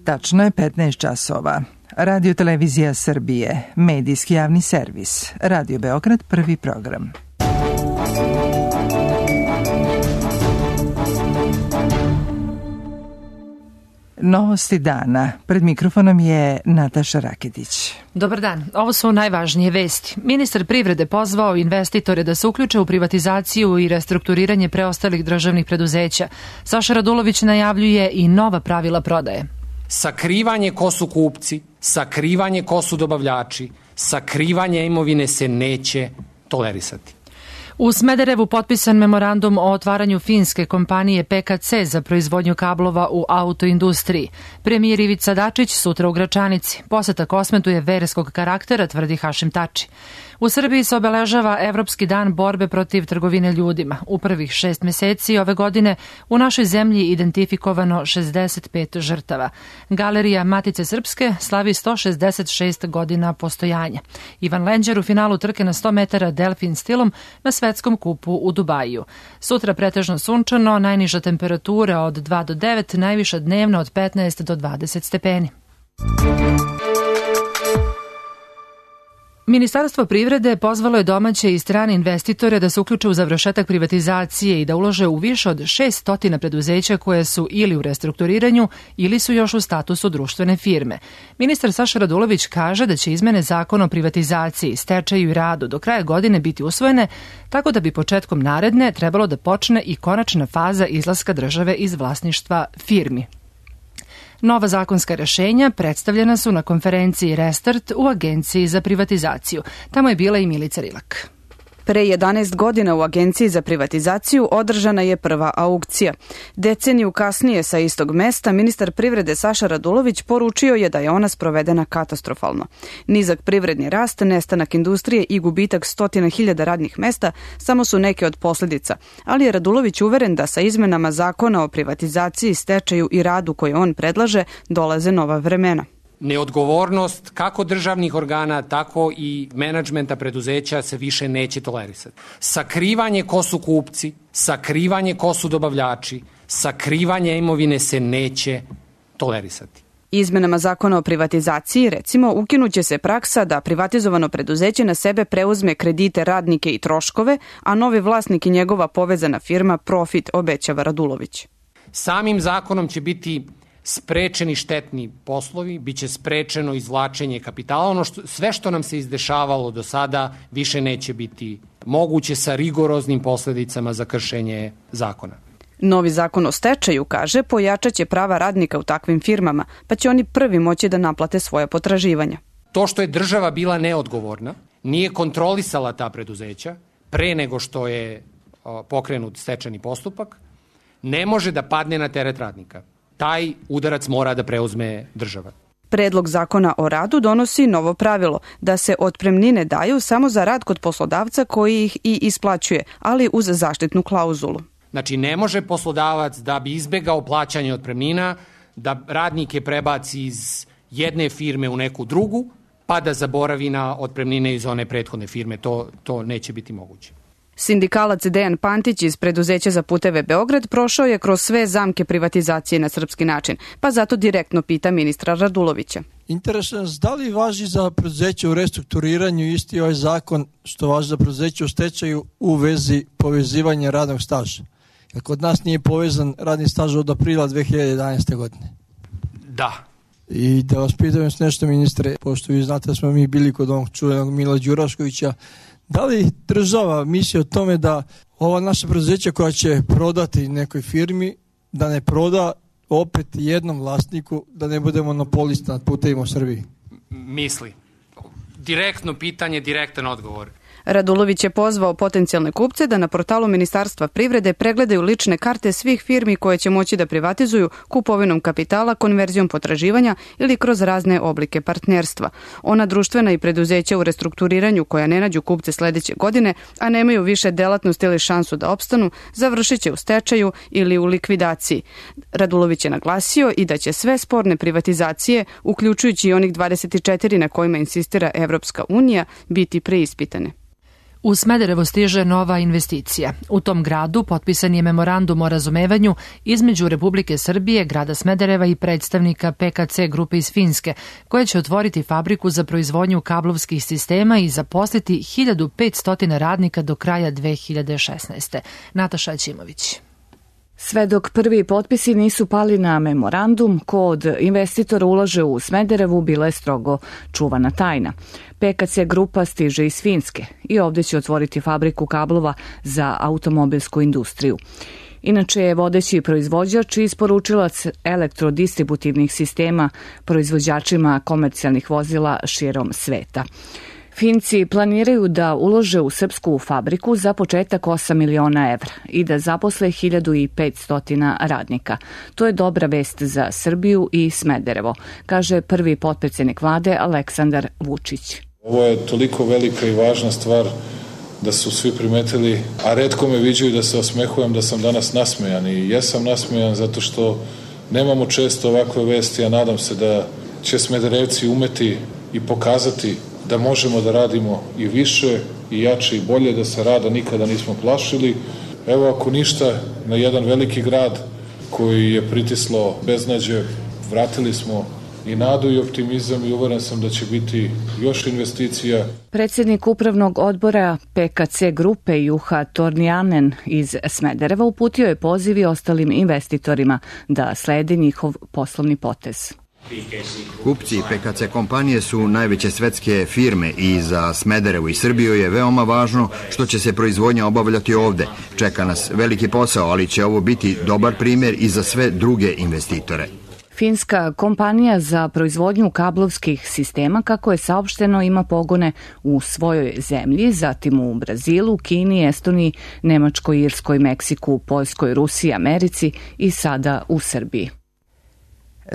Tačno je 15 časova. Radio Televizija Srbije, medijski javni servis. Radio Beograd, prvi program. Novosti dana. Pred mikrofonom je Nataša Raketić. Dobar dan. Ovo su najvažnije vesti. Ministar privrede pozvao investitore da se uključe u privatizaciju i restrukturiranje preostalih državnih preduzeća. Saša Radulović najavljuje i nova pravila prodaje. Sakrivanje ko su kupci, sakrivanje ko su dobavljači, sakrivanje imovine se neće tolerisati. U Smederevu potpisan memorandum o otvaranju finske kompanije PKC za proizvodnju kablova u autoindustriji. Premijer Ivica Dačić sutra u Gračanici. Poseta Kosmetu je verskog karaktera, tvrdi Hašim Tači. U Srbiji se obeležava Evropski dan borbe protiv trgovine ljudima. U prvih 6 meseci ove godine u našoj zemlji identifikovano 65 žrtava. Galerija Matice Srpske slavi 166 godina postojanja. Ivan Lenđer u finalu trke na 100 metara delfin stilom na svetskom kupu u Dubaju. Sutra pretežno sunčano, najniža temperatura od 2 do 9, najviša dnevna od 15 do 20 stepeni. Ministarstvo privrede pozvalo je domaće i strane investitore da se uključe u završetak privatizacije i da ulože u više od 600 preduzeća koje su ili u restrukturiranju ili su još u statusu društvene firme. Ministar Saša Radulović kaže da će izmene zakona o privatizaciji, stečaju i radu do kraja godine biti usvojene, tako da bi početkom naredne trebalo da počne i konačna faza izlaska države iz vlasništva firmi. Nova zakonska rešenja predstavljena su na konferenciji Restart u Agenciji za privatizaciju. Tamo je bila i Milica Rilak. Pre 11 godina u Agenciji za privatizaciju održana je prva aukcija. Deceniju kasnije sa istog mesta ministar privrede Saša Radulović poručio je da je ona sprovedena katastrofalno. Nizak privredni rast, nestanak industrije i gubitak 100.000 radnih mesta samo su neke od posljedica, ali je Radulović uveren da sa izmenama zakona o privatizaciji, stečaju i radu koje on predlaže dolaze nova vremena. Neodgovornost kako državnih organa, tako i menadžmenta preduzeća se više neće tolerisati. Sakrivanje ko su kupci, sakrivanje ko su dobavljači, sakrivanje imovine se neće tolerisati. Izmenama zakona o privatizaciji, recimo, ukinuće se praksa da privatizovano preduzeće na sebe preuzme kredite, radnike i troškove, a novi vlasnik i njegova povezana firma profit, obećava Radulović. Samim zakonom će biti sprečeni štetni poslovi, biće sprečeno izvlačenje kapitala. Sve što nam se izdešavalo do sada više neće biti moguće sa rigoroznim posledicama za kršenje zakona. Novi zakon o stečaju, kaže, pojačaće prava radnika u takvim firmama, pa će oni prvi moći da naplate svoje potraživanja. To što je država bila neodgovorna, nije kontrolisala ta preduzeća pre nego što je pokrenut stečajni postupak, ne može da padne na teret radnika. Taj udarac mora da preuzme država. Predlog zakona o radu donosi novo pravilo da se otpremnine daju samo za rad kod poslodavca koji ih i isplaćuje, ali uz zaštitnu klauzulu. Znači, ne može poslodavac da bi izbegao plaćanje otpremnina, da radnike prebaci iz jedne firme u neku drugu, pa da zaboravi na otpremnine iz one prethodne firme. To neće biti moguće. Sindikalac Dejan Pantić iz preduzeća za puteve Beograd prošao je kroz sve zamke privatizacije na srpski način, pa zato direktno pita ministra Radulovića. Interesuje nas da li važi za preduzeće u restrukturiranju isti ovaj zakon što važi za preduzeće u stečaju u vezi povezivanja radnog staža? Jer kod nas nije povezan radni staž od aprila 2011. godine. Da. I da vas pitam još nešto, ministre, pošto vi znate da smo mi bili kod onog čuvenog Mila Đuraškovića, da li država misli o tome da ova naša preduzeća koja će prodati nekoj firmi, da ne proda opet jednom vlasniku, da ne bude monopolista nad putevima u Srbiji? Misli. Direktno pitanje, direktan odgovor. Radulović je pozvao potencijalne kupce da na portalu Ministarstva privrede pregledaju lične karte svih firmi koje će moći da privatizuju kupovinom kapitala, konverzijom potraživanja ili kroz razne oblike partnerstva. Ona društvena i preduzeća u restrukturiranju koja ne nađu kupce sledeće godine, a nemaju više delatnost ili šansu da opstanu, završit će u stečaju ili u likvidaciji. Radulović je naglasio i da će sve sporne privatizacije, uključujući i onih 24 na kojima insistira Evropska unija, biti preispitane. U Smederevo stiže nova investicija. U tom gradu potpisan je memorandum o razumevanju između Republike Srbije, grada Smedereva i predstavnika PKC grupe iz Finske, koja će otvoriti fabriku za proizvodnju kablovskih sistema i zaposliti 1500 radnika do kraja 2016. Nataša Ćimović. Sve dok prvi potpisi nisu pali na memorandum, ko od investitora ulaže u Smederevu bila je strogo čuvana tajna. PKC grupa stiže iz Finske i ovdje će otvoriti fabriku kablova za automobilsku industriju. Inače je vodeći proizvođač i isporučilac elektrodistributivnih sistema proizvođačima komercijalnih vozila širom sveta. Finci planiraju da ulože u srpsku fabriku za početak 8 miliona evra i da zaposle 1500 radnika. To je dobra vest za Srbiju i Smederevo, kaže prvi potpredsjednik vlade Aleksandar Vučić. Ovo je toliko velika i važna stvar da su svi primetili, a retko me viđaju da se osmehujem da sam danas nasmejan i jesam nasmejan zato što nemamo često ovakve vesti, a nadam se da će Smederevci umeti i pokazati da možemo da radimo i više i jače i bolje, da se rada nikada nismo plašili. Evo, ako ništa, na jedan veliki grad koji je pritislo beznađe, vratili smo i nadu i optimizam i uveren sam da će biti još investicija. Predsjednik upravnog odbora PKC grupe Juha Tornianen iz Smedereva uputio je poziv i ostalim investitorima da slede njihov poslovni potez. Kupci PKC kompanije su najveće svetske firme i za Smederevo i Srbiju je veoma važno što će se proizvodnja obavljati ovde. Čeka nas veliki posao, ali će ovo biti dobar primjer i za sve druge investitore. Finska kompanija za proizvodnju kablovskih sistema, kako je saopšteno, ima pogone u svojoj zemlji, zatim u Brazilu, Kini, Estoniji, Nemačkoj, Irskoj, Meksiku, Poljskoj, Rusiji, Americi i sada u Srbiji.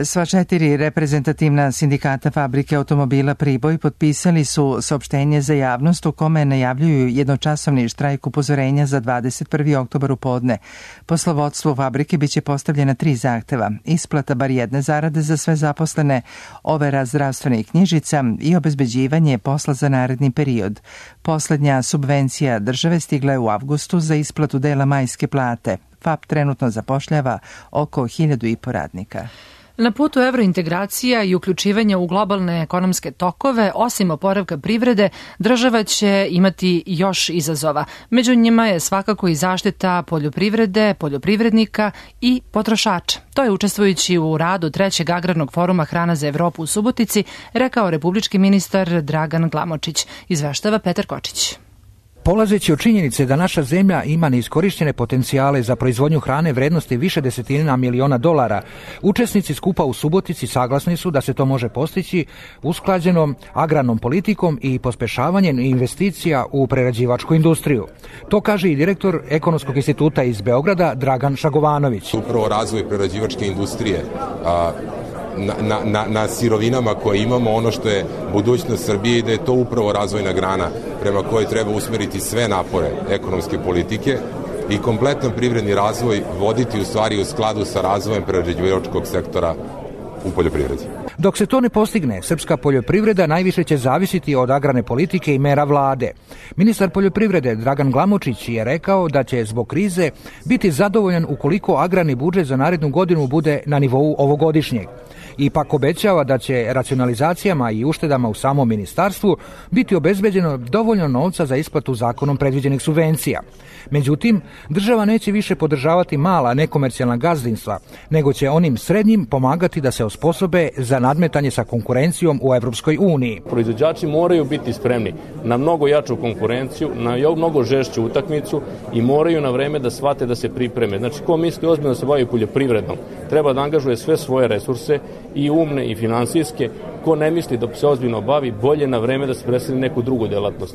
Sva 4 reprezentativna sindikata fabrike automobila Priboj potpisali su saopštenje za javnost u kome najavljuju jednočasovni štrajk upozorenja za 21. oktobar u podne. Poslovodstvu fabrike biće postavljena 3 zahteva: isplata bar jedne zarade za sve zaposlene, overa zdravstvenih knjižica i obezbeđivanje posla za naredni period. Poslednja subvencija države stigla je u avgustu za isplatu dela majske plate. FAP trenutno zapošljava oko 1500 radnika. Na putu evrointegracija i uključivanja u globalne ekonomske tokove, osim oporavka privrede, država će imati još izazova. Među njima je svakako i zaštita poljoprivrede, poljoprivrednika i potrošača. To je, učestvujući u radu 3. agrarnog foruma Hrana za Evropu u Subotici, rekao republički ministar Dragan Glamočić. Izveštava Petar Kočić. Polazeći od činjenice da naša zemlja ima neiskorištene potencijale za proizvodnju hrane vrednosti više desetina miliona dolara, učesnici skupa u Subotici saglasni su da se to može postići usklađenom agrarnom politikom i pospešavanjem investicija u prerađivačku industriju. To kaže i direktor Ekonomskog instituta iz Beograda Dragan Šagovanović. Upravo razvoj prerađivačke industrije na sirovinama koje imamo, ono što je budućnost Srbije, i da je to upravo razvojna grana prema kojoj treba usmeriti sve napore ekonomske politike i kompletan privredni razvoj voditi u stvari u skladu sa razvojem prerađivačkog sektora u poljoprivredi. Dok se to ne postigne, srpska poljoprivreda najviše će zavisiti od agrarne politike i mera vlade. Ministar poljoprivrede Dragan Glamočić je rekao da će zbog krize biti zadovoljan ukoliko agrarni budžet za narednu godinu bude na nivou ovogodišnjeg. Ipak obećava da će racionalizacijama i uštedama u samom ministarstvu biti obezbeđeno dovoljno novca za isplatu zakonom predviđenih subvencija. Međutim, država neće više podržavati mala nekomercijalna gazdinstva, nego će onim srednjim pomagati da se osposobe za nadmetanje sa konkurencijom u Evropskoj uniji. Proizvođači moraju biti spremni na mnogo jaču konkurenciju, na mnogo žešću utakmicu i moraju na vreme da shvate da se pripreme. Znači, ko misli ozbiljno da se bavi poljoprivredom, treba da angažuje sve svoje resurse, i umne i finansijske. Ko ne misli da se ozbiljno bavi, bolje na vreme da se preseli neku drugu delatnost.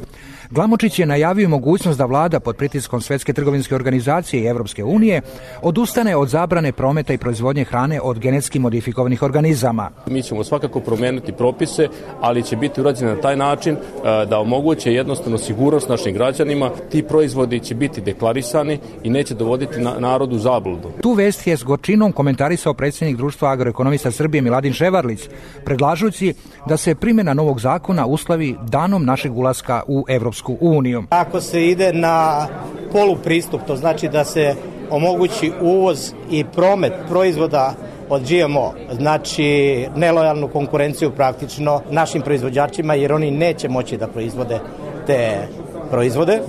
Glamočić je najavio mogućnost da vlada pod pritiskom Svetske trgovinske organizacije i Evropske unije odustane od zabrane prometa i proizvodnje hrane od genetski modifikovanih organizama. Mi ćemo svakako promeniti propise, ali će biti urađeno na taj način da omoguće jednostavno sigurnost našim građanima. Ti proizvodi će biti deklarisani i neće dovoditi narodu u zabludu. Tu vest je s gorčinom komentarisao predsjednik Društva agroekonomista Srbije Miladin Ševarlić, predlažući da se primjena novog zakona uslovi danom našeg ulaska u Evropsku Evropsku uniju. Ako se ide na polupristup, to znači da se omogući uvoz i promet proizvoda od GMO, znači nelojalnu konkurenciju praktično našim proizvođačima, jer oni neće moći da proizvode te proizvode,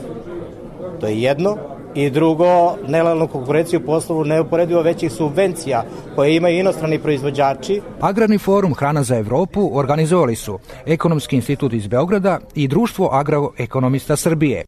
to je jedno. I drugo, nelojalnu konkurenciju poslovu neuporedivo većih subvencija koje imaju inostrani proizvođači. Agrarni forum Hrana za Evropu organizovali su Ekonomski institut iz Beograda i Društvo agroekonomista Srbije.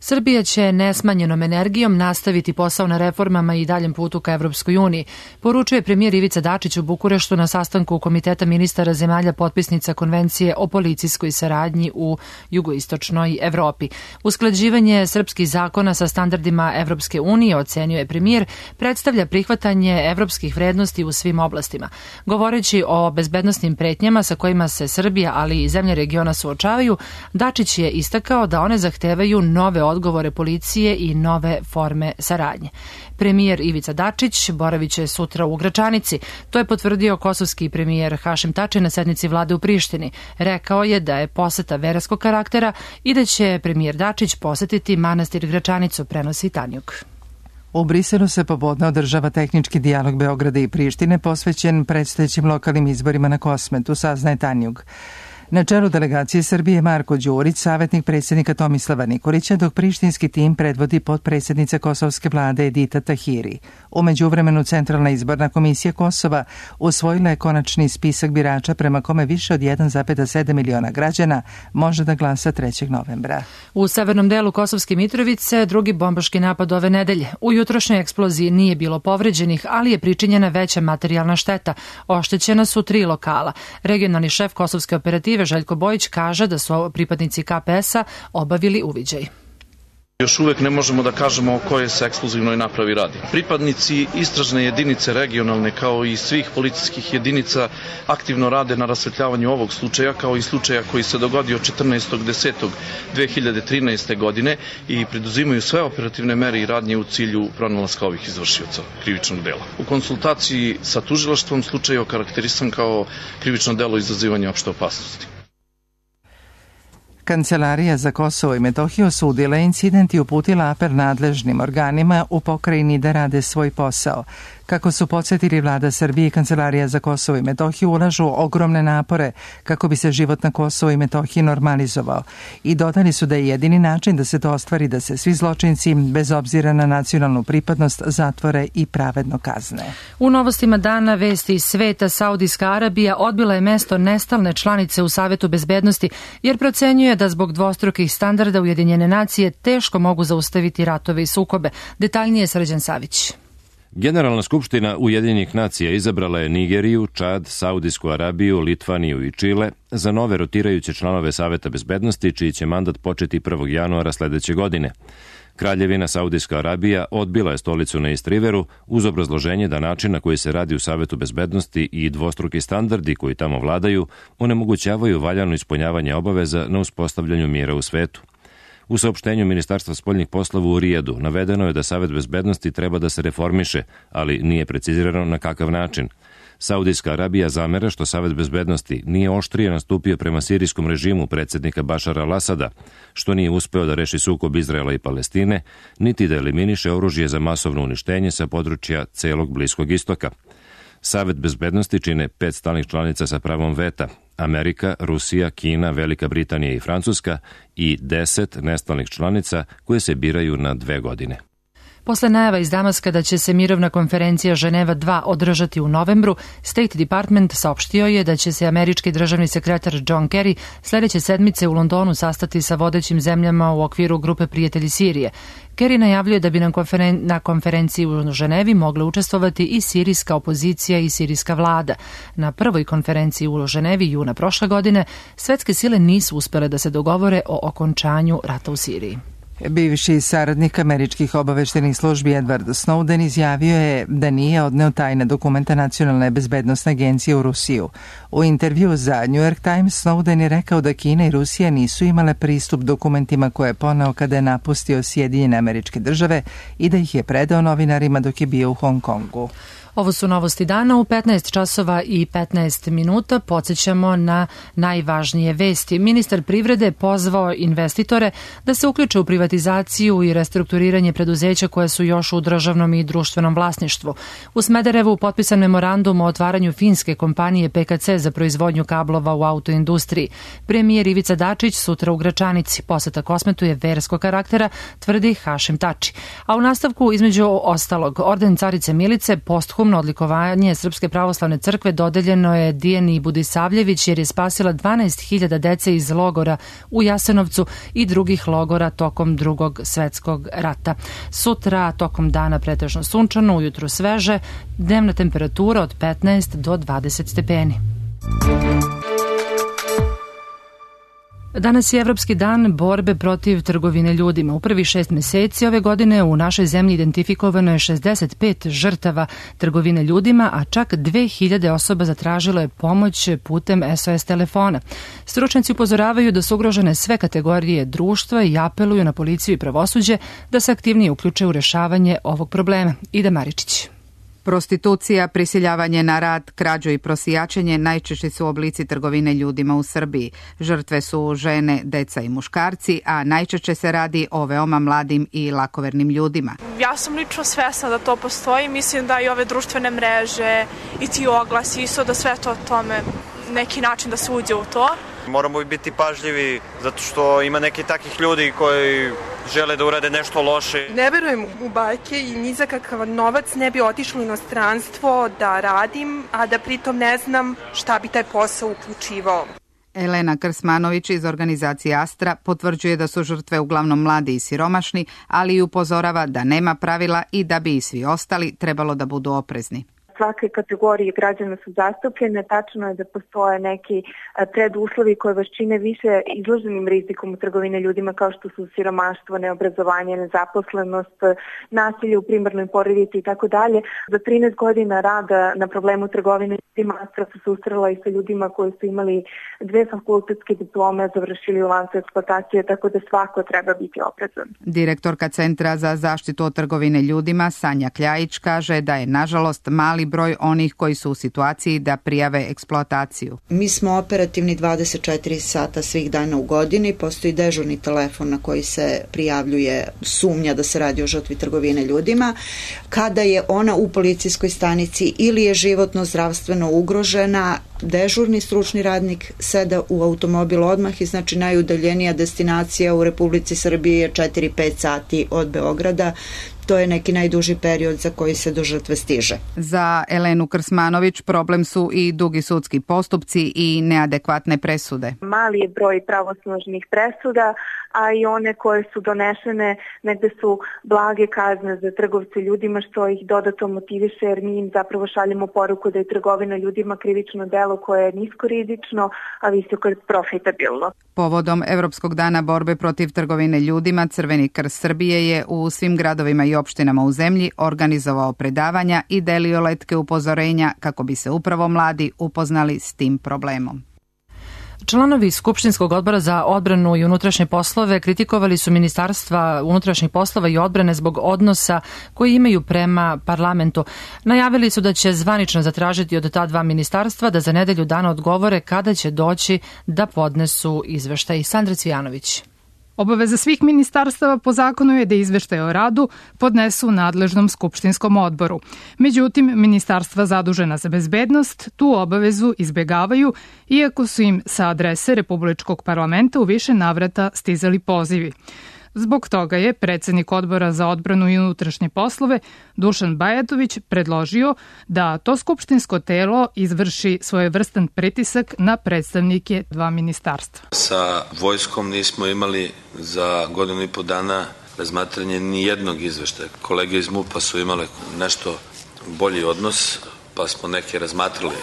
Srbija će nesmanjenom energijom nastaviti posao na reformama i daljem putu ka Evropskoj uniji, poručuje premijer Ivica Dačić u Bukureštu na sastanku Komiteta ministara zemalja potpisnica Konvencije o policijskoj saradnji u jugoistočnoj Evropi. Usklađivanje srpskih zakona sa standardima Evropske unije, ocenjuje premijer, predstavlja prihvatanje evropskih vrednosti u svim oblastima. Govoreći o bezbednosnim pretnjama sa kojima se Srbija, ali i zemlje regiona suočavaju, Dačić je istakao da one zahtevaju nove odgovore policije i nove forme saradnje. Premijer Ivica Dačić boravit će sutra u Gračanici. To je potvrdio kosovski premijer Hašim Tači na sednici vlade u Prištini. Rekao je da je poseta verskog karaktera i da će premijer Dačić posetiti manastir Gračanicu, prenosi Tanjuk. U Briselu se popodne održava tehnički dijalog Beograda i Prištine posvećen predstojećim lokalnim izborima na Kosmetu, saznaje Tanjug. Na čelu delegacije Srbije Marko Đurić, savjetnik predsjednika Tomislava Nikolića, dok prištinski tim predvodi potpredsjednica kosovske vlade Edita Tahiri. U međuvremenu Centralna izborna komisija Kosova usvojila je konačni spisak birača prema kome više od 1,7 miliona građana može da glasa 3. novembra. U severnom delu Kosovske Mitrovice drugi bombaški napad ove nedelje. U jutrošnjoj eksploziji nije bilo povređenih, ali je pričinjena veća materijalna šteta. Oštećena su 3 lokala. Regionalni šef kosovske operative Željko Bojić kaže da su pripadnici KPS-a obavili uviđaj. Još uvek ne možemo da kažemo o kojoj se eksplozivnoj napravi radi. Pripadnici istražne jedinice regionalne kao i svih policijskih jedinica aktivno rade na rasvetljavanju ovog slučaja kao i slučaja koji se dogodio 14.10.2013. godine i preduzimaju sve operativne mere i radnje u cilju pronalaska ovih izvršioca krivičnog dela. U konsultaciji sa tužilaštvom slučaj je okarakterisan kao krivično delo izazivanja opšte opasnosti. Kancelarija za Kosovo i Metohiju osudila incident i uputila apel nadležnim organima u pokrajini da rade svoj posao. Kako su podsjetili vlada Srbije i Kancelarija za Kosovo i Metohiju ulažu ogromne napore kako bi se život na Kosovo i Metohiji normalizovao i dodali su da je jedini način da se to ostvari da se svi zločinci, bez obzira na nacionalnu pripadnost, zatvore i pravedno kazne. U novostima dana vesti iz sveta, Saudijska Arabija odbila je mesto nestalne članice u Savetu bezbednosti jer procenjuje da zbog dvostrukih standarda Ujedinjene nacije teško mogu zaustaviti ratove i sukobe. Detaljnije Srđan Savić. Generalna skupština Ujedinjenih nacija izabrala je Nigeriju, Čad, Saudijsku Arabiju, Litvaniju i Čile za nove rotirajuće članove Saveta bezbednosti, čiji će mandat početi 1. januara sledeće godine. Kraljevina Saudijska Arabija odbila je stolicu na East Riveru uz obrazloženje da način na koji se radi u Savetu bezbednosti i dvostruki standardi koji tamo vladaju onemogućavaju valjano ispunjavanje obaveza na uspostavljanju mira u svetu. U saopštenju Ministarstva spoljnih poslova u Rijadu navedeno je da Savet bezbednosti treba da se reformiše, ali nije precizirano na kakav način. Saudijska Arabija zamera što Savet bezbednosti nije oštrije nastupio prema sirijskom režimu predsjednika Bašara al-Asada, što nije uspeo da reši sukob Izraela i Palestine, niti da eliminiše oružje za masovno uništenje sa područja celog Bliskog istoka. Savet bezbednosti čine 5 stalnih članica sa pravom veta, Amerika, Rusija, Kina, Velika Britanija i Francuska i 10 nestalnih članica koje se biraju na 2 godine. Posle najava iz Damaska da će se mirovna konferencija Ženeva 2 održati u novembru, State Department saopštio je da će se američki državni sekretar John Kerry sledeće sedmice u Londonu sastati sa vodećim zemljama u okviru grupe Prijatelji Sirije. Kerry najavljuje da bi na konferenciji u Ženevi mogle učestvovati i sirijska opozicija i sirijska vlada. Na prvoj konferenciji u Ženevi juna prošle godine svetske sile nisu uspele da se dogovore o okončanju rata u Siriji. Bivši saradnik američkih obaveštenih službi Edward Snowden izjavio je da nije odneo tajne dokumenta Nacionalne bezbednosne agencije u Rusiju. U intervju za New York Times Snowden je rekao da Kina i Rusija nisu imale pristup dokumentima koje je poneo kada je napustio Sjedinjene Američke Države i da ih je predao novinarima dok je bio u Hong Kongu. Ovo su novosti dana u 15 časova i 15 minuta. Podsjećamo na najvažnije vesti. Ministar privrede pozvao investitore da se uključe u privatizaciju i restrukturiranje preduzeća koje su još u državnom i društvenom vlasništvu. U Smederevu potpisan memorandum o otvaranju finske kompanije PKC za proizvodnju kablova u autoindustriji. Premijer Ivica Dačić sutra u Gračanici. Poseta Kosmetu je verskog karaktera, tvrdi Hašim Tači. A u nastavku, između ostalog, orden Carice Milice, posthumno odlikovanje Srpske pravoslavne crkve dodeljeno je Dijani Budisavljević jer je spasila 12.000 dece iz logora u Jasenovcu i drugih logora tokom Drugog svetskog rata. Sutra tokom dana pretežno sunčano, ujutru sveže, dnevna temperatura od 15 do 20 stepeni. Danas je Evropski dan borbe protiv trgovine ljudima. U prvih 6 meseci ove godine u našoj zemlji identifikovano je 65 žrtava trgovine ljudima, a čak 2000 osoba zatražilo je pomoć putem SOS telefona. Stručnjaci upozoravaju da su ugrožene sve kategorije društva i apeluju na policiju i pravosuđe da se aktivnije uključe u rešavanje ovog problema. Ida Maričić. Prostitucija, prisiljavanje na rad, krađu i prosijačenje najčešći su oblici trgovine ljudima u Srbiji. Žrtve su žene, deca i muškarci, a najčešće se radi o veoma mladim i lakovernim ljudima. Ja sam lično svesna da to postoji. Mislim da i ove društvene mreže i ti oglasi isto da sve to tome neki način da se uđe u to. Moramo biti pažljivi zato što ima neki takih ljudi koji žele da urade nešto loše. Ne verujem u bajke i ni za kakav novac ne bi otišlo u inostranstvo da radim, a da pritom ne znam šta bi taj posao uključivao. Elena Krsmanović iz organizacije Astra potvrđuje da su žrtve uglavnom mladi i siromašni, ali i upozorava da nema pravila i da bi i svi ostali trebalo da budu oprezni. Svake kategorije građana su zastupljene, tačno je da postoje neki preduslovi koje vas čine više izloženim rizikom u trgovine ljudima kao što su siromaštvo, neobrazovanje, nezaposlenost, nasilje u primarnoj porodici i tako dalje. Za 13 godina rada na problemu trgovine ljudima Astra se susrela i sa ljudima koji su imali 2 fakultetske diplome, završili u lancu eksploatacije, tako da svako treba biti oprezan. Direktorka Centra za zaštitu od trgovine ljudima Sanja Kljajić kaže da je nažalost mali broj onih koji su u situaciji da prijave eksploataciju. Mi smo operativni 24 sata svih dana u godini, postoji dežurni telefon na koji se prijavljuje sumnja da se radi o žrtvi trgovine ljudima. Kada je ona u policijskoj stanici ili je životno zdravstveno ugrožena, dežurni stručni radnik seda u automobil odmah i znači najudaljenija destinacija u Republici Srbiji je 4-5 sati od Beograda. To je neki najduži period za koji se do žrtve stiže. Za Elenu Krsmanović problem su i dugi sudski postupci i neadekvatne presude. Mali je broj pravosnažnih presuda, a i one koje su donešene negde su blage kazne za trgovce ljudima, što ih dodatno motiviše jer mi im zapravo šaljemo poruku da je trgovina ljudima krivično delo koje je niskorizično, a visoko profitabilno. Povodom Evropskog dana borbe protiv trgovine ljudima, Crveni krst Srbije je u svim gradovima i opštinama u zemlji organizovao predavanja i delio letke upozorenja kako bi se upravo mladi upoznali s tim problemom. Članovi Skupštinskog odbora za odbranu i unutrašnje poslove kritikovali su Ministarstva unutrašnjih poslova i odbrane zbog odnosa koji imaju prema parlamentu. Najavili su da će zvanično zatražiti od ta dva ministarstva da za nedelju dana odgovore kada će doći da podnesu izveštaj. Sandra Cvijanović. Obaveza svih ministarstava po zakonu je da izveštaje o radu podnesu nadležnom skupštinskom odboru. Međutim, ministarstva zadužena za bezbednost tu obavezu izbegavaju, iako su im sa adrese Republičkog parlamenta u više navrata stizali pozivi. Zbog toga je predsednik odbora za odbranu i unutrašnje poslove Dušan Bajatović predložio da to skupštinsko telo izvrši svojevrstan pritisak na predstavnike dva ministarstva. Sa vojskom nismo imali za 1,5 dana razmatranje ni jednog izveštaja. Kolege iz MUP-a su imale nešto bolji odnos, pa smo neke razmatrali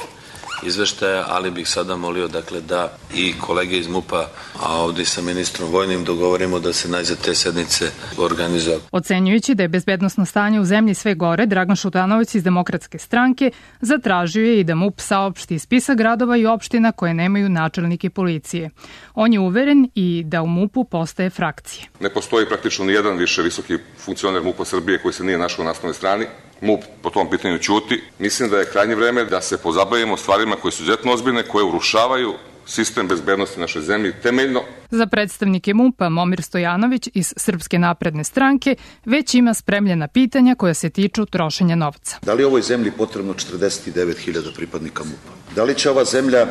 izveštaja, ali bih sada molio da i kolege iz MUP-a, a ovdje sa ministrom vojnim dogovorimo da se najzad te sednice organizuje. Ocenjujući da je bezbednosno stanje u zemlji sve gore, Dragan Šutanovac iz Demokratske stranke zatražio je i da MUP saopšti spisak gradova i opština koje nemaju načelnike policije. On je uveren i da u MUP-u postaje frakcije. Ne postoji praktično ni jedan više visoki funkcioner MUP-a Srbije koji se nije našao na naslovnoj strani. MUP po tom pitanju ćuti. Mislim da je krajnje vreme da se pozabavimo stvarima koje su izuzetno ozbiljne, koje urušavaju sistem bezbednosti naše zemlje temeljno. Za predstavnike MUP-a Momir Stojanović iz Srpske napredne stranke već ima spremljena pitanja koja se tiču trošenja novca. Da li je ovoj zemlji potrebno 49.000 pripadnika MUP-a? Da li će ova zemlja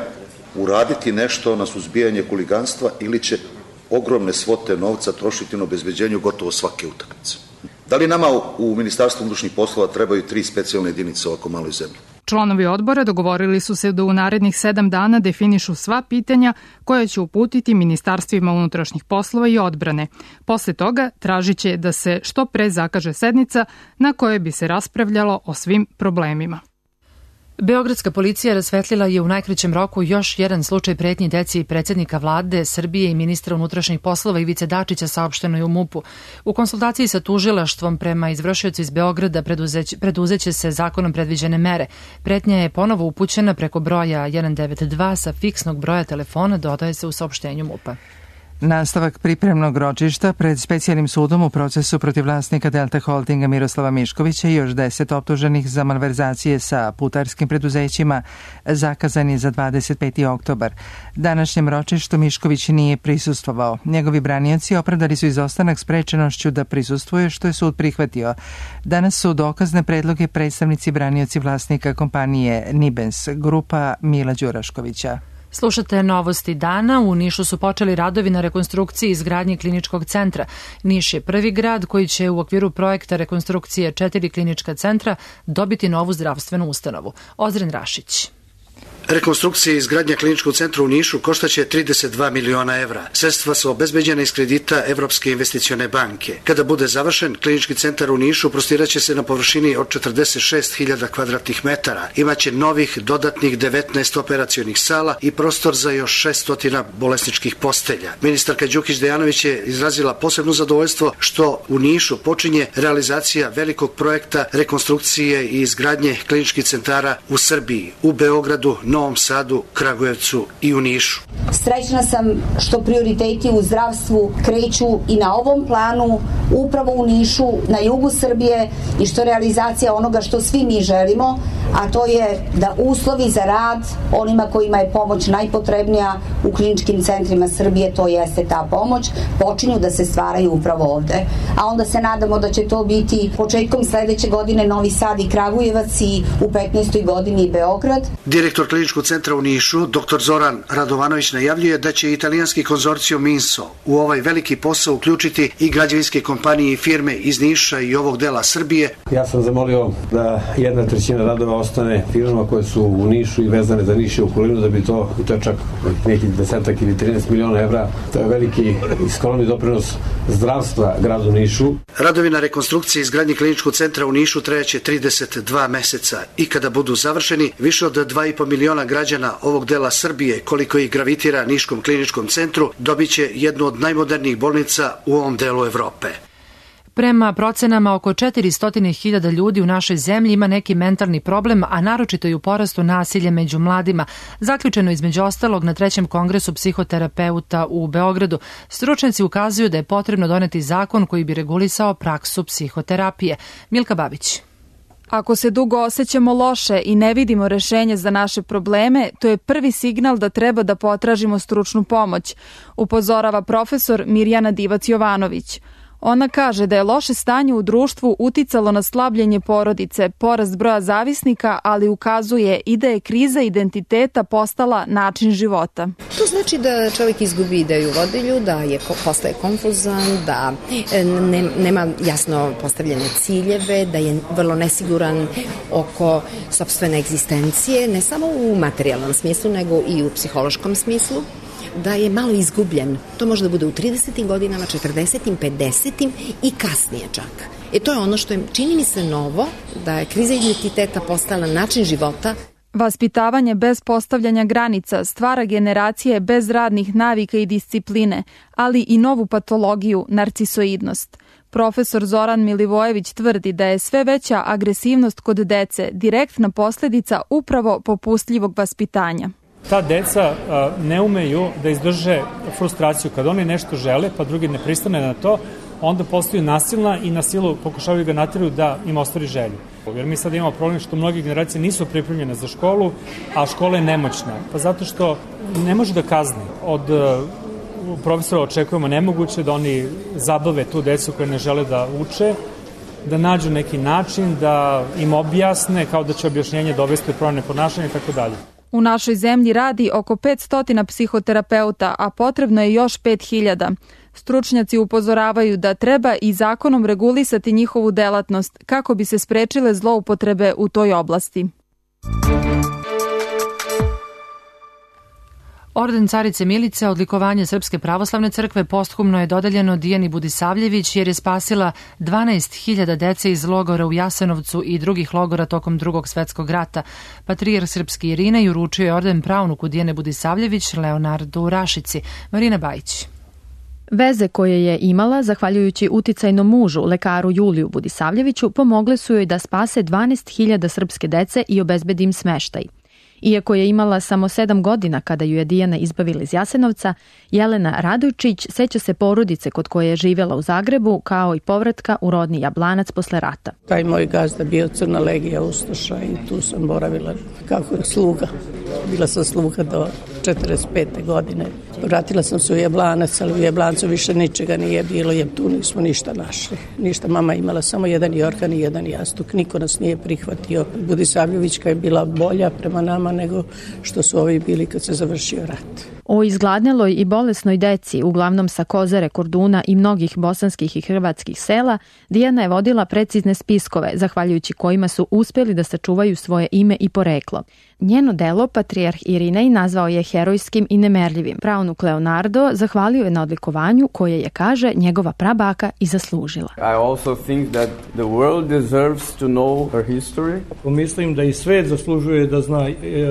uraditi nešto na suzbijanje huliganstva ili će ogromne svote novca trošiti na obezbeđenju gotovo svake utakmice? Da li nama u Ministarstvu unutrašnjih poslova trebaju 3 specijalne jedinice ovako maloj zemlji? Članovi odbora dogovorili su se da u narednih 7 dana definišu sva pitanja koja će uputiti Ministarstvima unutrašnjih poslova i odbrane. Posle toga tražit će da se što pre zakaže sednica na kojoj bi se raspravljalo o svim problemima. Beogradska policija rasvetlila je u najkraćem roku još jedan slučaj pretnji deci predsjednika vlade Srbije i ministra unutrašnjih poslova Ivice Dačića, saopšteno je u MUP-u. U konsultaciji sa tužilaštvom prema izvršiocu iz Beograda preduzeće se zakonom predviđene mere. Pretnja je ponovo upućena preko broja 192 sa fiksnog broja telefona, dodaje se u saopštenju MUP-a. Nastavak pripremnog ročišta pred specijalnim sudom u procesu protiv vlasnika Delta Holdinga Miroslava Miškovića i još 10 optuženih za malverzacije sa putarskim preduzećima zakazan je za 25. oktobar. Današnjem ročištu Mišković nije prisustvovao. Njegovi branioci opravdali su izostanak sprečenošću da prisustvuje, što je sud prihvatio. Danas su dokazne predloge predstavnici branioci vlasnika kompanije Nibens, grupa Mila Đuraškovića. Slušate novosti dana. U Nišu su počeli radovi na rekonstrukciji i izgradnji kliničkog centra. Niš je prvi grad koji će u okviru projekta rekonstrukcije 4 klinička centra dobiti novu zdravstvenu ustanovu. Ozren Rašić. Rekonstrukcija i izgradnja kliničkog centra u Nišu koštaće 32 miliona evra. Sredstva su obezbeđena iz kredita Evropske investicione banke. Kada bude završen, klinički centar u Nišu prostiraće se na površini od 46.000 kvadratnih metara. Imaće novih dodatnih 19 operacionih sala i prostor za još 600 bolesničkih postelja. Ministarka Đukić Dejanović je izrazila posebno zadovoljstvo što u Nišu počinje realizacija velikog projekta rekonstrukcije i izgradnje kliničkih centara u Srbiji, u Beogradu, Novom Sadu, Kragujevcu i u Nišu. Srećna sam što prioriteti u zdravstvu kreću i na ovom planu upravo u Nišu, na jugu Srbije, i što realizacija onoga što svi mi želimo, a to je da uslovi za rad onima kojima je pomoć najpotrebnija u kliničkim centrima Srbije, to jeste ta pomoć, počinju da se stvaraju upravo ovde. A onda se nadamo da će to biti početkom sledeće godine Novi Sad i Kragujevac i u 15. godini Beograd. Direktor kliničkog centra u Nišu, dr. Zoran Radovanović, najavljuje da će italijanski konzorcijum Minso u ovaj veliki posao uključiti i građevinske kompanije i firme iz Niša i ovog dela Srbije. Ja sam zamolio da 1/3 radova ostane firmama koje su u Nišu i vezane za Niš i okolinu, da bi to je čak nekih 10 ili 13 miliona evra. To je veliki i skromni doprinos zdravstva gradu Nišu. Radovi na rekonstrukciji i izgradnji kliničkog centra u Nišu trajaće 32 meseca i kada budu završeni, više od 2,5 miliona građana ovog dela Srbije, koliko ih gravitira Niškom kliničkom centru, dobiće jednu od najmodernijih bolnica u ovom delu Evrope. Prema procenama, oko 400.000 ljudi u našoj zemlji ima neki mentalni problem, a naročito i u porastu nasilja među mladima. Zaključeno između ostalog na 3. kongresu psihoterapeuta u Beogradu. Stručnjaci ukazuju da je potrebno doneti zakon koji bi regulisao praksu psihoterapije. Milka Babić. Ako se dugo osjećamo loše i ne vidimo rešenje za naše probleme, to je prvi signal da treba da potražimo stručnu pomoć, upozorava profesor Mirjana Divac-Jovanović. Ona kaže da je loše stanje u društvu uticalo na slabljenje porodice, porast broja zavisnika, ali ukazuje i da je kriza identiteta postala način života. To znači da čovjek izgubi ideju vodilju, da postaje konfuzan, da nema jasno postavljene ciljeve, da je vrlo nesiguran oko sopstvene egzistencije, ne samo u materijalnom smislu, nego i u psihološkom smislu. Da je malo izgubljen. To može da bude u 30. godinama, 40. 50. i kasnije čak. To je ono što je, čini mi se, novo, da je kriza identiteta postala način života. Vaspitavanje bez postavljanja granica stvara generacije bez radnih navika i discipline, ali i novu patologiju, narcisoidnost. Profesor Zoran Milivojević tvrdi da je sve veća agresivnost kod dece direktna posljedica upravo popustljivog vaspitanja. Ta deca ne umeju da izdrže frustraciju. Kad oni nešto žele, pa drugi ne pristane na to, onda postaju nasilna i na silu pokušavaju ga natjeraju da im ostvari želju. Jer mi sad imamo problem što mnoge generacije nisu pripremljene za školu, a škola je nemoćna. Pa zato što ne može da kazni. Od profesora očekujemo nemoguće da oni zabave tu decu koje ne žele da uče, da nađu neki način, da im objasne kao da će objašnjenje dovesti do promene ponašanja i tako dalje. U našoj zemlji radi oko 500 psihoterapeuta, a potrebno je još 5000. Stručnjaci upozoravaju da treba i zakonom regulisati njihovu delatnost kako bi se sprečile zloupotrebe u toj oblasti. Orden Carice Milice, odlikovanje Srpske pravoslavne crkve, posthumno je dodeljeno Dijani Budisavljević jer je spasila 12.000 dece iz logora u Jasenovcu i drugih logora tokom Drugog svetskog rata. Patrijarh srpski Irinej uručio je orden pravnuku Dijane Budisavljević, Leonardu u Rašici. Marina Bajić. Veze koje je imala, zahvaljujući uticajnom mužu, lekaru Juliju Budisavljeviću, pomogle su joj da spase 12.000 srpske dece i obezbedi im smeštaj. Iako je imala samo 7 godina kada ju je Dijana izbavila iz Jasenovca, Jelena Radojčić seća se porodice kod koje je živjela u Zagrebu, kao i povratka u rodni Jablanac posle rata. Taj moj gazda bio Crna legija ustaša i tu sam boravila kako sluga. Bila sam sluga do 45. godine. Vratila sam se u Jablanac, ali u Jablancu više ničega nije bilo jer tu nismo ništa našli. Ništa, mama imala samo jedan jorgan i jedan jastuk. Niko nas nije prihvatio. Budisavljevićka je bila bolja prema nama nego što su ovi bili kad se završio rat. O izgladneloj i bolesnoj deci, uglavnom sa Kozare, Korduna i mnogih bosanskih i hrvatskih sela, Dijana je vodila precizne spiskove, zahvaljujući kojima su uspjeli da sačuvaju svoje ime i poreklo. Njeno delo patrijarh Irinej nazvao je herojskim i nemerljivim. Pravnuk Leonardo zahvalio je na odlikovanju koje je, kaže, njegova prabaka i zaslužila. I also think that the world deserves to know her history. Mislim da i svet zaslužuje da zna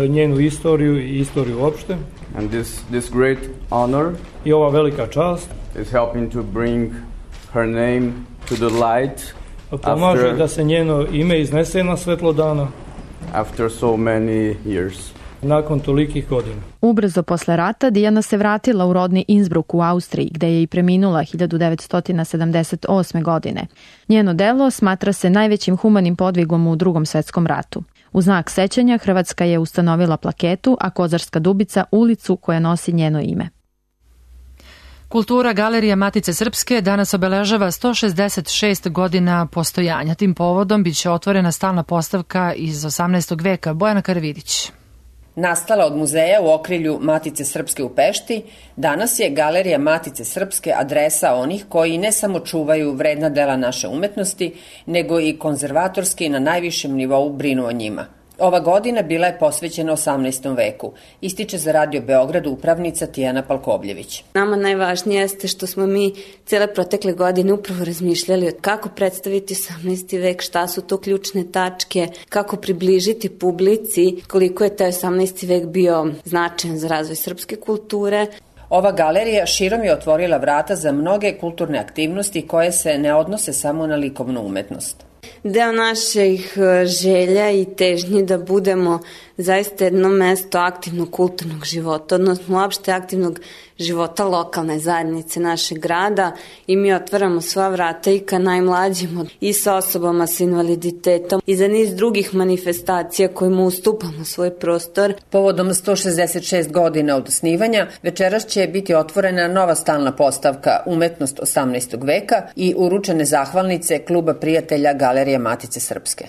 njenu istoriju i istoriju uopšte. And this great honor i ova velika čast is helping to bring her name to the light. Pomaže da se njeno ime iznese na svetlo dana. After so many years. Nakon tolikih godina. Ubrzo posle rata Dijana se vratila u rodni Innsbruck u Austriji, gde je i preminula 1978. godine. Njeno delo smatra se najvećim humanim podvigom u Drugom svetskom ratu. U znak sećanja Hrvatska je ustanovila plaketu, a Kozarska Dubica ulicu koja nosi njeno ime. Kultura Galerija Matice Srpske danas obeležava 166 godina postojanja. Tim povodom biće otvorena stalna postavka iz 18. veka. Bojana Karavidić. Nastala od muzeja u okrilju Matice Srpske u Pešti, danas je Galerija Matice Srpske adresa onih koji ne samo čuvaju vredna dela naše umetnosti, nego i konzervatorski na najvišem nivou brinu o njima. Ova godina bila je posvećena 18. veku, ističe za Radio Beograd upravnica Tijana Palkovljević. Nama najvažnije jeste što smo mi cijele protekle godine upravo razmišljali kako predstaviti 18. vek, šta su to ključne tačke, kako približiti publici koliko je taj 18. vek bio značajan za razvoj srpske kulture. Ova galerija širom je otvorila vrata za mnoge kulturne aktivnosti koje se ne odnose samo na likovnu umetnost. Deo naših želja i težnji da budemo zaista jedno mesto aktivnog kulturnog života, odnosno uopšte aktivnog života lokalne zajednice našeg grada i mi otvaramo sva vrata i ka najmlađima i sa osobama sa invaliditetom i za niz drugih manifestacija kojima ustupamo svoj prostor. Povodom 166 godina od osnivanja, večeras će biti otvorena nova stalna postavka Umetnost 18. veka i uručene zahvalnice Kluba prijatelja Galerije Matice Srpske.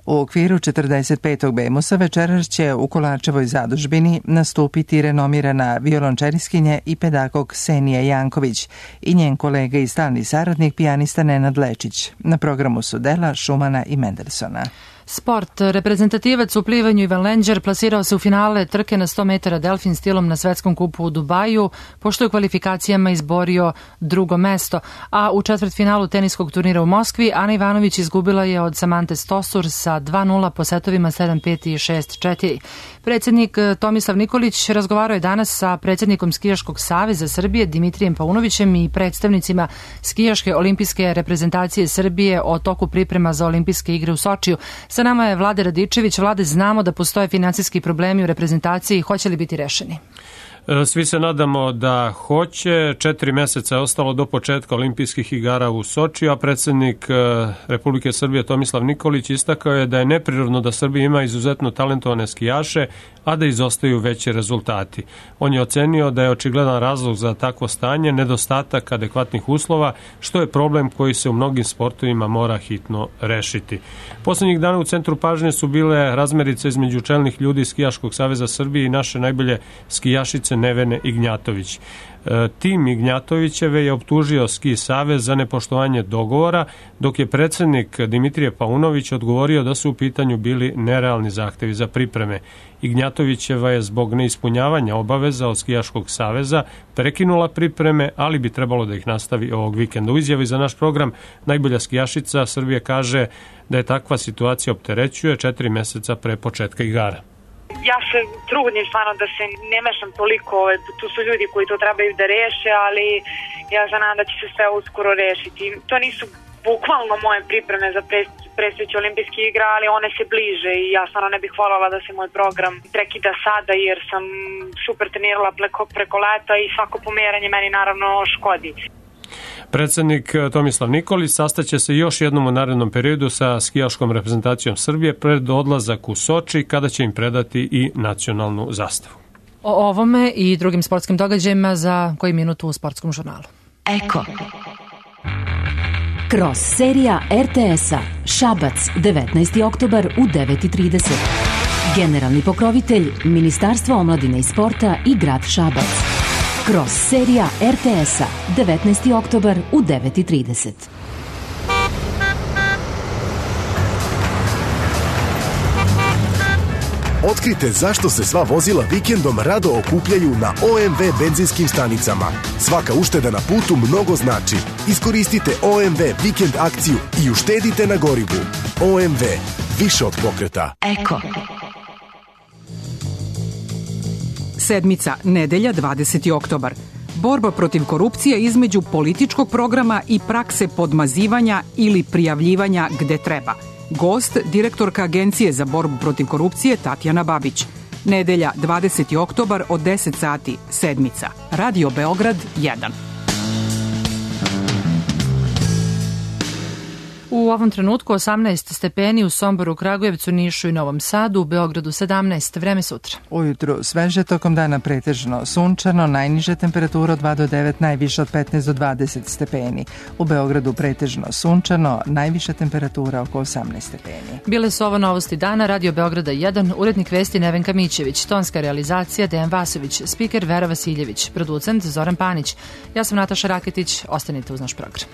U okviru 45. Bemusa večeras će u Kolarčevoj zadužbini nastupiti renomirana violončeriskinja i pedagog Ksenija Janković i njen kolega i stalni saradnik pijanista Nenad Lečić. Na programu su dela Šumana i Mendelsona. Sport. Reprezentativac u plivanju Ivan Lenđer plasirao se u finale trke na 100 metara delfin stilom na svetskom kupu u Dubaju, pošto je u kvalifikacijama izborio drugo mesto, a u četvrtfinalu teniskog turnira u Moskvi Ana Ivanović izgubila je od Samante Stosur sa 2-0 po setovima 7-5 i 6-4. Predsjednik Tomislav Nikolić razgovarao je danas sa predsjednikom Skijaškog saveza Srbije Dimitrijem Paunovićem i predstavnicima Skijaške olimpijske reprezentacije Srbije o toku priprema za olimpijske igre u Sočiju. Sa nama je Vlade Radičević. Vlade, znamo da postoje finansijski problemi u reprezentaciji. Hoće li biti rešeni? Svi se nadamo da hoće. 4 meseca je ostalo do početka olimpijskih igara u Sočiju, a predsjednik Republike Srbije Tomislav Nikolić istakao je da je neprirodno da Srbija ima izuzetno talentovane skijaše, a da izostaju veći rezultati. On je ocenio da je očigledan razlog za takvo stanje nedostatak adekvatnih uslova, što je problem koji se u mnogim sportovima mora hitno rešiti. Poslednjih dana u centru pažnje su bile razmerice između čelnih ljudi Skijaškog saveza Srbije i naše najbolje skijašice Nevene Ignjatović. Tim Ignjatovićeve je optužio Ski savez za nepoštovanje dogovora, dok je predsjednik Dimitrije Paunović odgovorio da su u pitanju bili nerealni zahtevi za pripreme. Ignjatovićeva je zbog neispunjavanja obaveza od Skijaškog saveza prekinula pripreme, ali bi trebalo da ih nastavi ovog vikenda. U izjavi za naš program najbolja skijašica Srbije kaže da je takva situacija opterećuje 4 meseca pre početka igara. Ja se trudim stvarno da se ne mešam toliko, tu su ljudi koji to trebaju da reše, ali ja se nadam da će se sve uskoro rešiti. To nisu bukvalno moje pripreme za predstojeće olimpijske igre, ali one se bliže i ja stvarno ne bih voljela da se moj program prekida sada jer sam super trenirala preko leta i svako pomeranje meni naravno škodi. Predsjednik Tomislav Nikolić sastaće se još jednom u narednom periodu sa skijaškom reprezentacijom Srbije pred odlazak u Soči, kada će im predati i nacionalnu zastavu. O ovome i drugim sportskim događajima za koji minut u Sportskom žurnalu. Eko. Kroz serija RTS-a Šabac, 19. oktobar u 9:30. Generalni pokrovitelj Ministarstvo omladine i sporta i grad Šabac. Kroz serija RTS-a 19. oktobar u 9:30. Otkrite zašto se sva vozila vikendom rado okupljaju na OMV benzinskim stanicama. Svaka ušteda na putu mnogo znači. Iskoristite OMV vikend akciju i uštedite na gorivu. OMV, više od pokreta. Eko. Sedmica, nedelja, 20. oktobar. Borba protiv korupcije između političkog programa i prakse podmazivanja ili prijavljivanja gde treba. Gost, direktorka Agencije za borbu protiv korupcije Tatjana Babić. Nedelja, 20. oktobar od 10 sati, sedmica. Radio Beograd 1. U ovom trenutku 18 stepeni u Somboru, Kragujevcu, Nišu i Novom Sadu, u Beogradu 17, vreme sutra. Ujutru sveže, tokom dana pretežno sunčano, najniža temperatura od 2 do 9, najviša od 15 do 20 stepeni. U Beogradu pretežno sunčano, najviša temperatura oko 18 stepeni. Bile su ovo novosti dana, Radio Beograda 1, urednik vesti Nevenka Mićević, tonska realizacija Dejan Vasović, spiker Vera Vasiljević, producent Zoran Panić. Ja sam Nataša Raketić, ostanite uz naš program.